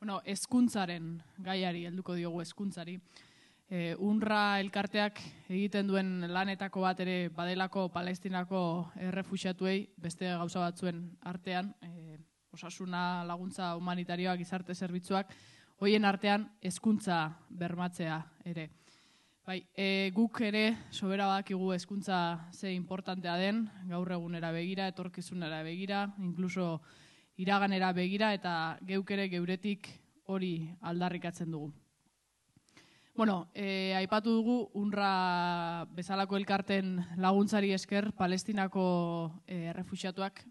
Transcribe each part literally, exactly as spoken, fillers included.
Bueno, hezkuntzaren gaiari, helduko diogu hezkuntzari. E, UNRWA elkarteak egiten duen lanetako bat ere badelako Palestinako errefuxiatuei beste gauza batzuen artean, e, osasuna, laguntza humanitarioak, gizarte zerbitzuak, hoien artean hezkuntza bermatzea ere. Bai, e, guk ere sobera badakigu hezkuntza ze importantea den, gaur egunera begira, etorkizunera begira, inkluso iraganera begira, eta geuk ere geuretik hori aldarrikatzen dugu. Bueno, e, aipatu dugu UNRWA bezalako elkarten laguntzari esker Palestinako e, errefuxiatuak,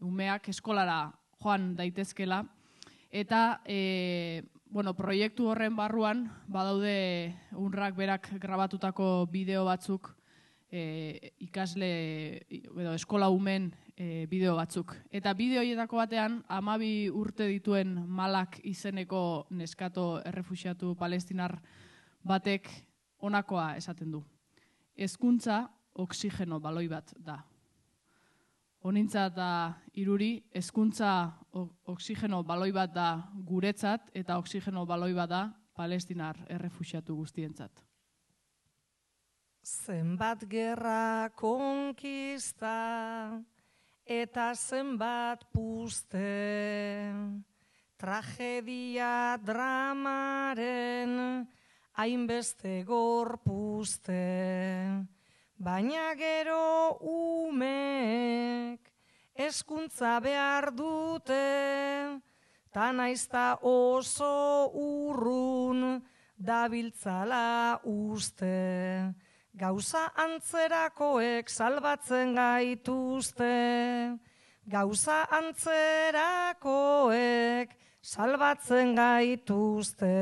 umeak eskolara joan daitezkela, eta e, bueno, proiektu horren barruan badaude UNRWAk berak grabatutako bideo batzuk, e, ikasle edo eskola umen e, bideo batzuk. Eta bideo horietako batean hamabi urte dituen Malak izeneko neskato errefuxiatu palestinar batek honakoa esaten du. Hezkuntza oxigeno baloi bat da. Honintza da iruri, hezkuntza oxigeno baloi bat da guretzat eta oxigeno baloi bat da palestinar errefuxiatu guztientzat. Zenbat gerra konkista eta zenbat puzte, tragedia dramaren hainbeste gorpuzte, baina gero umek hezkuntza behar dute, ta naizta oso urrun dabiltzala uste. Gauza antzerakoek salbatzen gaituzte, gauza antzerakoek salbatzen gaituzte.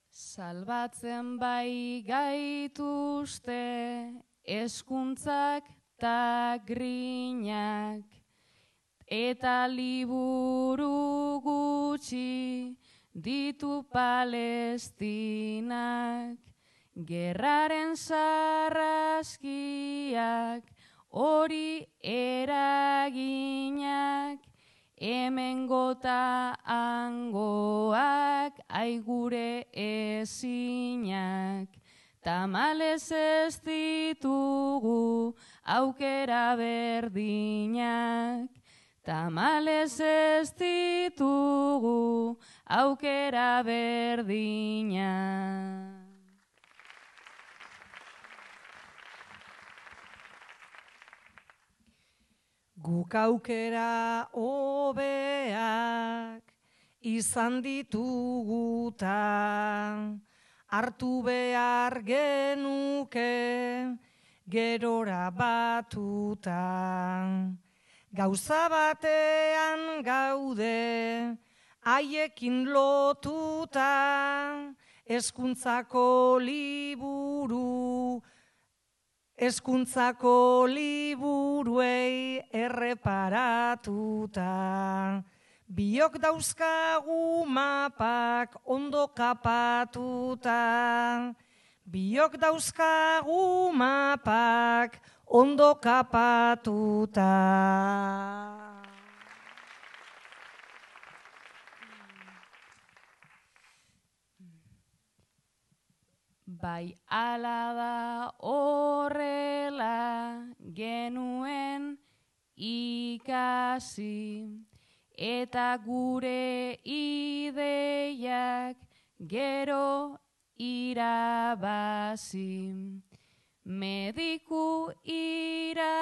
Salbatzen bai gaituzte hezkuntzak ta grinak, eta liburu gutxi ditu Palestinak, gerraren sarraskiak hori eraginak, hemen gota angoak aigure ezinak, tamalez ez ditugu aukera berdinak, tamalez ez ditugu aukera berdinak. Guk aukera hobeak izan dituguta, hartu behar genuke gerora batuta. Gauza batean gaude haiekin lotuta, hezkuntzako liburu, hezkuntzako liburuei erreparatuta. Biok dauzkagu mapak ondo kapatuta, biok dauzkagu mapak ondo kapatuta. Bai ala da horrela genuen ikasi, eta gure ideiak gero irabazi. Mediku irakasle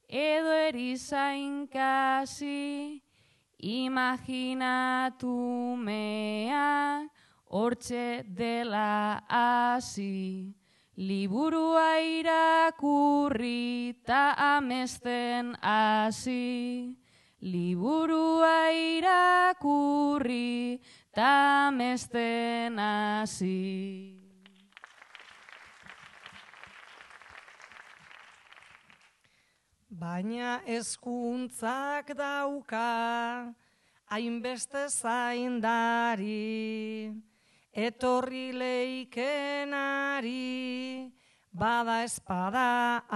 edo erizain kasi, imaginatu mea hortxe dela hasi. Liburua irakurri ta amesten hasi. Liburua irakurri ta amesten hasi. Baina hezkuntzak dauka hainbeste zaindari, etorri leikenari bada espada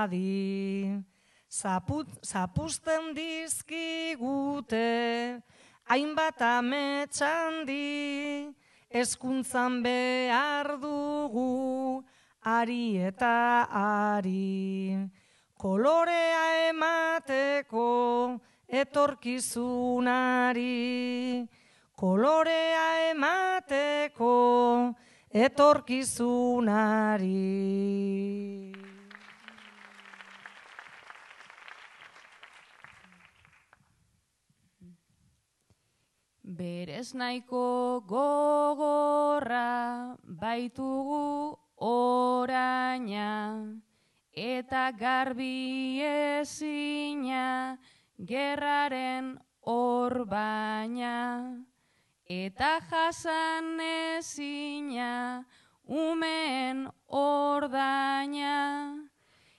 adi. Zaput, zapuzten dizkigute, hainbat ametxandi, hezkuntzan behar dugu, ari eta ari. Kolorea emateko etorkizunari, kolorea emateko etorkizunari. Berez nahiko gogorra baitugu oraina, eta garbi ezina gerraren orbaina, eta jasan ezina umeen ordaina,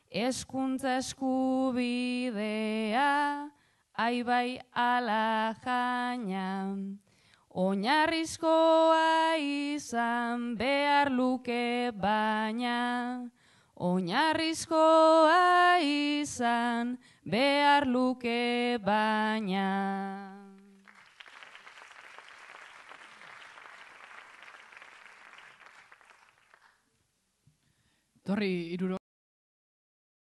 hezkuntza eskubidea aibai ala jaina, oinarrizkoa izan behar luke baina, oinarrizkoa izan behar luke baina. Torri iruro.